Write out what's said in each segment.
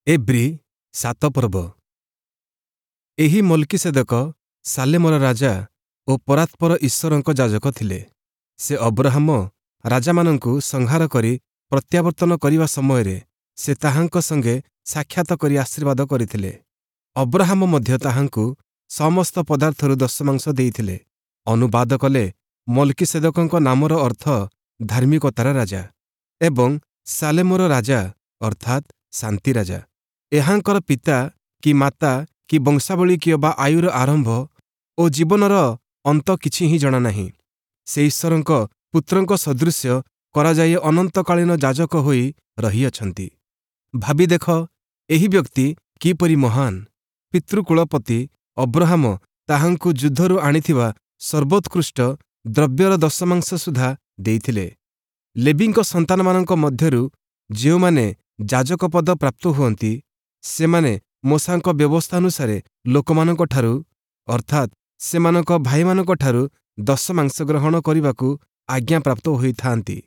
ଏବ୍ରୀ 7 ପର୍ବ। ଏହି ମଲ୍କିଷେଦକ ସାଲେମର ରାଜା ଓ ପରାତ୍ପର ଈଶ୍ୱରଙ୍କ ଯାଜକ ଥିଲେ। ସେ ଅବ୍ରହାମ ରାଜାମାନଙ୍କୁ ସଂହାର କରି ପ୍ରତ୍ୟାବର୍ତ୍ତନ କରିବା ସମୟରେ ସେ ତାହାଙ୍କ ସଙ୍ଗେ ସାକ୍ଷାତ କରି ଆଶୀର୍ବାଦ କରିଥିଲେ। ଅବ୍ରହାମ ମଧ୍ୟ ତାହାଙ୍କୁ ସମସ୍ତ ପଦାର୍ଥରୁ ଦଶମାଂଶ ଦେଇଥିଲେ। ଅନୁବାଦ କଲେ ମଲ୍କିଷେଦକଙ୍କ ନାମର ଅର୍ଥ ଧାର୍ମିକତାର ରାଜା ଏବଂ ସାଲେମର ରାଜା ଅର୍ଥାତ୍ ଶାନ୍ତି ରାଜା। ଏହାଙ୍କର ପିତା କି ମାତା କି ବଂଶାବଳୀ କିଅବା ଆୟୁର ଆରମ୍ଭ ଓ ଜୀବନର ଅନ୍ତ କିଛି ହିଁ ଜଣାନାହିଁ। ସେ ଈଶ୍ୱରଙ୍କ ପୁତ୍ରଙ୍କ ସଦୃଶ୍ୟ କରାଯାଇ ଅନନ୍ତକାଳୀନ ଯାଜକ ହୋଇ ରହିଅଛନ୍ତି। ଭାବି ଦେଖ, ଏହି ବ୍ୟକ୍ତି କିପରି ମହାନ! ପିତୃକୁଳପତି ଅବ୍ରହାମ ତାହାଙ୍କୁ ଯୁଦ୍ଧରୁ ଆଣିଥିବା ସର୍ବୋତ୍କୃଷ୍ଟ ଦ୍ରବ୍ୟର ଦଶମାଂଶ ସୁଦ୍ଧା ଦେଇଥିଲେ। ଲେବୀଙ୍କ ସନ୍ତାନମାନଙ୍କ ମଧ୍ୟରୁ ଯେଉଁମାନେ ଯାଜକ ପଦ ପ୍ରାପ୍ତ ହୁଅନ୍ତି, ସେମାନେ ମୋଶାଙ୍କ ବ୍ୟବସ୍ଥାନୁସାରେ ଲୋକମାନଙ୍କଠାରୁ, ଅର୍ଥାତ୍ ସେମାନଙ୍କ ଭାଇମାନଙ୍କଠାରୁ ଦଶମାଂଶ ଗ୍ରହଣ କରିବାକୁ ଆଜ୍ଞାପ୍ରାପ୍ତ ହୋଇଥାନ୍ତି।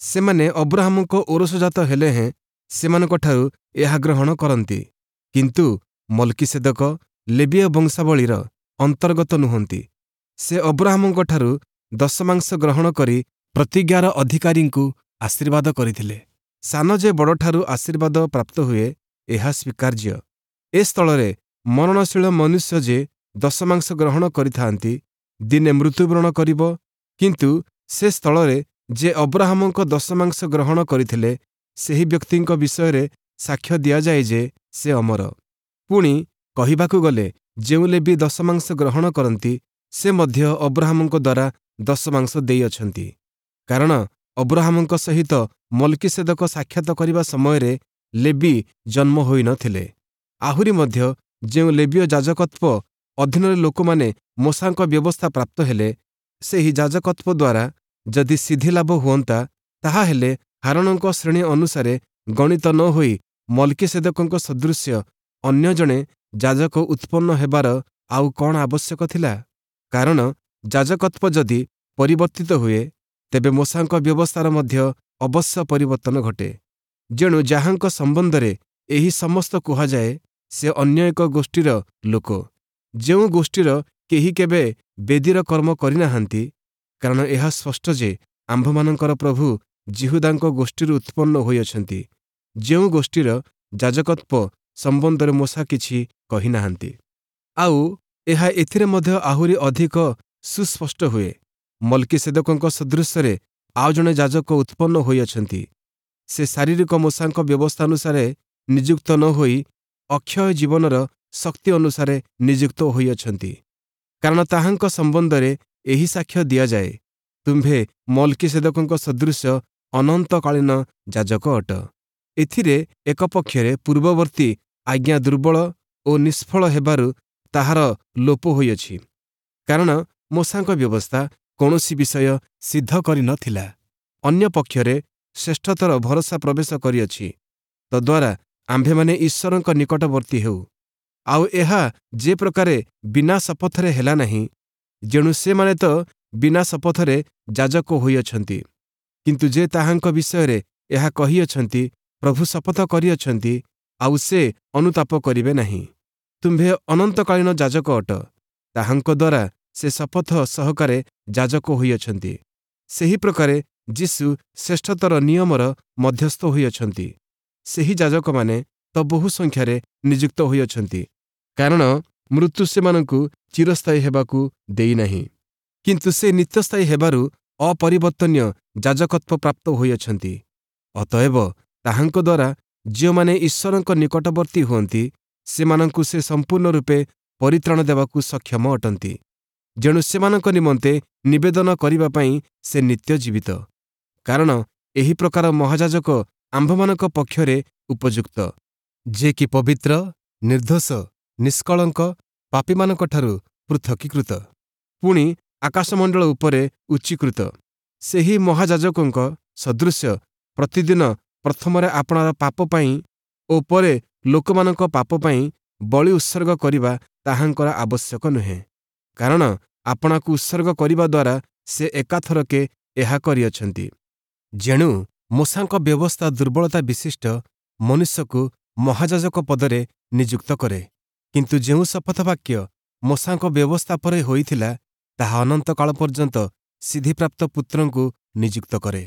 ସେମାନେ ଅବ୍ରହାମଙ୍କ ଔରସଜାତ ହେଲେ ହେଁ ସେମାନଙ୍କଠାରୁ ଏହା ଗ୍ରହଣ କରନ୍ତି। କିନ୍ତୁ ମଲ୍କିଷେଦକ ଲେବୀୟ ବଂଶାବଳୀର ଅନ୍ତର୍ଗତ ନୁହନ୍ତି। ସେ ଅବ୍ରହାମଙ୍କଠାରୁ ଦଶମାଂଶ ଗ୍ରହଣ କରି ପ୍ରତିଜ୍ଞାର ଅଧିକାରୀଙ୍କୁ ଆଶୀର୍ବାଦ କରିଥିଲେ। ସାନ ଯେ ବଡ଼ଠାରୁ ଆଶୀର୍ବାଦ ପ୍ରାପ୍ତ ହୁଏ, ଏହା ସ୍ୱୀକାର୍ଯ୍ୟ। ଏ ସ୍ଥଳରେ ମରଣଶୀଳ ମନୁଷ୍ୟ ଯେ ଦଶମାଂଶ ଗ୍ରହଣ କରିଥାନ୍ତି, ଦିନେ ମୃତ୍ୟୁବରଣ କରିବ, କିନ୍ତୁ ସେ ସ୍ଥଳରେ ଯେ ଅବ୍ରହାମଙ୍କ ଦଶମାଂଶ ଗ୍ରହଣ କରିଥିଲେ, ସେହି ବ୍ୟକ୍ତିଙ୍କ ବିଷୟରେ ସାକ୍ଷ୍ୟ ଦିଆଯାଏ ଯେ ସେ ଅମର। ପୁଣି କହିବାକୁ ଗଲେ ଯେଉଁ ଲେବୀ ଦଶମାଂଶ ଗ୍ରହଣ କରନ୍ତି, ସେ ମଧ୍ୟ ଅବ୍ରହାମଙ୍କ ଦ୍ୱାରା ଦଶମାଂଶ ଦେଇଅଛନ୍ତି। କାରଣ ଅବ୍ରହାମଙ୍କ ସହିତ ମଲ୍କିଷେଦକ ସାକ୍ଷାତ କରିବା ସମୟରେ ଲେବୀ ଜନ୍ମ ହୋଇନଥିଲେ। ଆହୁରି ମଧ୍ୟ ଯେଉଁ ଲେବୀୟ ଯାଜକତ୍ୱ ଅଧୀନରେ ଲୋକମାନେ ମୋଶାଙ୍କ ବ୍ୟବସ୍ଥା ପ୍ରାପ୍ତ ହେଲେ, ସେହି ଯାଜକତ୍ୱ ଦ୍ୱାରା ଯଦି ସିଦ୍ଧିଲାଭ ହୁଅନ୍ତା, ତାହାହେଲେ ହାରୋଣଙ୍କ ଶ୍ରେଣୀ ଅନୁସାରେ ଗଣିତ ନ ହୋଇ ମଲ୍କିଷେଦକଙ୍କ ସଦୃଶ୍ୟ ଅନ୍ୟ ଜଣେ ଯାଜକ ଉତ୍ପନ୍ନ ହେବାର ଆଉ କ'ଣ ଆବଶ୍ୟକ ଥିଲା? କାରଣ ଯାଜକତ୍ୱ ଯଦି ପରିବର୍ତ୍ତିତ ହୁଏ, ତେବେ ମୋଶାଙ୍କ ବ୍ୟବସ୍ଥାର ମଧ୍ୟ ଅବଶ୍ୟ ପରିବର୍ତ୍ତନ ଘଟେ। ଯେଣୁ ଯାହାଙ୍କ ସମ୍ବନ୍ଧରେ ଏହି ସମସ୍ତ କୁହାଯାଏ, ସେ ଅନ୍ୟ ଏକ ଗୋଷ୍ଠୀର ଲୋକ, ଯେଉଁ ଗୋଷ୍ଠୀର କେହି କେବେ ବେଦୀର କର୍ମ କରିନାହାନ୍ତି। କାରଣ ଏହା ସ୍ପଷ୍ଟ ଯେ ଆମ୍ଭମାନଙ୍କର ପ୍ରଭୁ ଯିହୁଦାଙ୍କ ଗୋଷ୍ଠୀରୁ ଉତ୍ପନ୍ନ ହୋଇଅଛନ୍ତି, ଯେଉଁ ଗୋଷ୍ଠୀର ଯାଜକତ୍ୱ ସମ୍ବନ୍ଧରେ ମୋଶା କିଛି କହିନାହାନ୍ତି। ଆଉ ଏହା ଏଥିରେ ମଧ୍ୟ ଆହୁରି ଅଧିକ ସୁସ୍ପଷ୍ଟ ହୁଏ, ମଲ୍କିଷେଦକଙ୍କ ସଦୃଶ୍ୟରେ ଆଉ ଜଣେ ଯାଜକ ଉତ୍ପନ୍ନ ହୋଇଅଛନ୍ତି। ସେ ଶାରୀରିକ ମୋଶାଙ୍କ ବ୍ୟବସ୍ଥାନୁସାରେ ନିଯୁକ୍ତ ନ ହୋଇ ଅକ୍ଷୟ ଜୀବନର ଶକ୍ତି ଅନୁସାରେ ନିଯୁକ୍ତ ହୋଇଅଛନ୍ତି। କାରଣ ତାହାଙ୍କ ସମ୍ବନ୍ଧରେ ଏହି ସାକ୍ଷ୍ୟ ଦିଆଯାଏ, ତୁମ୍ଭେ ମଲ୍କିଷେଦକଙ୍କ ସଦୃଶ୍ୟ ଅନନ୍ତକାଳୀନ ଯାଜକ ଅଟ। ଏଥିରେ ଏକ ପକ୍ଷରେ ପୂର୍ବବର୍ତ୍ତୀ ଆଜ୍ଞା ଦୁର୍ବଳ ଓ ନିଷ୍ଫଳ ହେବାରୁ ତାହାର ଲୋପ ହୋଇଅଛି, କାରଣ ମୋଶାଙ୍କ ବ୍ୟବସ୍ଥା କୌଣସି ବିଷୟ ସିଦ୍ଧ କରିନଥିଲା। ଅନ୍ୟ ପକ୍ଷରେ ଶ୍ରେଷ୍ଠତର ଭରସା ପ୍ରବେଶ କରିଅଛି, ତଦ୍ୱାରା ଆମ୍ଭେମାନେ ଈଶ୍ୱରଙ୍କ ନିକଟବର୍ତ୍ତୀ ହେଉ। ଆଉ ଏହା ଯେ ପ୍ରକାରେ ବିନା ଶପଥରେ ହେଲା ନାହିଁ, ଯେଣୁ ସେମାନେ ତ ବିନା ଶପଥରେ ଯାଜକ ହୋଇଅଛନ୍ତି, କିନ୍ତୁ ଯେ ତାହାଙ୍କ ବିଷୟରେ ଏହା କହିଅଛନ୍ତି, ପ୍ରଭୁ ଶପଥ କରିଅଛନ୍ତି, ଆଉ ସେ ଅନୁତାପ କରିବେ ନାହିଁ, ତୁମ୍ଭେ ଅନନ୍ତକାଳୀନ ଯାଜକ ଅଟ, ତାହାଙ୍କ ଦ୍ୱାରା ସେ ଶପଥ ସହକାରେ ଯାଜକ ହୋଇଅଛନ୍ତି। ସେହି ପ୍ରକାରେ ଯୀଶୁ ଶ୍ରେଷ୍ଠତର ନିୟମର ମଧ୍ୟସ୍ଥ ହୋଇଅଛନ୍ତି। ସେହି ଯାଜକମାନେ ତ ବହୁ ସଂଖ୍ୟାରେ ନିଯୁକ୍ତ ହୋଇଅଛନ୍ତି, କାରଣ ମୃତ୍ୟୁ ସେମାନଙ୍କୁ ଚିରସ୍ଥାୟୀ ହେବାକୁ ଦେଇନାହିଁ, କିନ୍ତୁ ସେ ନିତ୍ୟସ୍ଥାୟୀ ହେବାରୁ ଅପରିବର୍ତ୍ତନୀୟ ଯାଜକତ୍ୱ ପ୍ରାପ୍ତ ହୋଇଅଛନ୍ତି। ଅତଏବ ତାହାଙ୍କ ଦ୍ୱାରା ଯେଉଁମାନେ ଈଶ୍ୱରଙ୍କ ନିକଟବର୍ତ୍ତୀ ହୁଅନ୍ତି, ସେମାନଙ୍କୁ ସେ ସମ୍ପୂର୍ଣ୍ଣ ରୂପେ ପରିତ୍ରାଣ ଦେବାକୁ ସକ୍ଷମ ଅଟନ୍ତି, ଯେଣୁ ସେମାନଙ୍କ ନିମନ୍ତେ ନିବେଦନ କରିବା ପାଇଁ ସେ ନିତ୍ୟ ଜୀବିତ। କାରଣ ଏହି ପ୍ରକାର ମହାଯାଜକ ଆମ୍ଭମାନଙ୍କ ପକ୍ଷରେ ଉପଯୁକ୍ତ, ଯେ କି ପବିତ୍ର, ନିର୍ଦ୍ଦୋଷ, ନିଷ୍କଳଙ୍କ, ପାପୀମାନଙ୍କଠାରୁ ପୃଥକୀକୃତ, ପୁଣି ଆକାଶମଣ୍ଡଳ ଉପରେ ଉଚ୍ଚୀକୃତ। ସେହି ମହାଯାଜକଙ୍କ ସଦୃଶ୍ୟ ପ୍ରତିଦିନ ପ୍ରଥମରେ ଆପଣାର ପାପ ପାଇଁ ଓ ପରେ ଲୋକମାନଙ୍କ ପାପ ପାଇଁ ବଳି ଉତ୍ସର୍ଗ କରିବା ତାହାଙ୍କର ଆବଶ୍ୟକ ନୁହେଁ, କାରଣ ଆପଣାକୁ ଉତ୍ସର୍ଗ କରିବା ଦ୍ୱାରା ସେ ଏକାଥରକେ ଏହା କରିଅଛନ୍ତି। ଯେଣୁ ମୋଶାଙ୍କ ବ୍ୟବସ୍ଥା ଦୁର୍ବଳତା ବିଶିଷ୍ଟ ମନୁଷ୍ୟକୁ ମହାଯାଜକ ପଦରେ ନିଯୁକ୍ତ କରେ। କିନ୍ତୁ ଯେଉଁ ଶପଥବାକ୍ୟ ମୋଶାଙ୍କ ବ୍ୟବସ୍ଥା ପରେ ହୋଇଥିଲା, ତାହା ଅନନ୍ତକାଳ ପର୍ଯ୍ୟନ୍ତ ସିଦ୍ଧିପ୍ରାପ୍ତ ପୁତ୍ରଙ୍କୁ ନିଯୁକ୍ତ କରେ।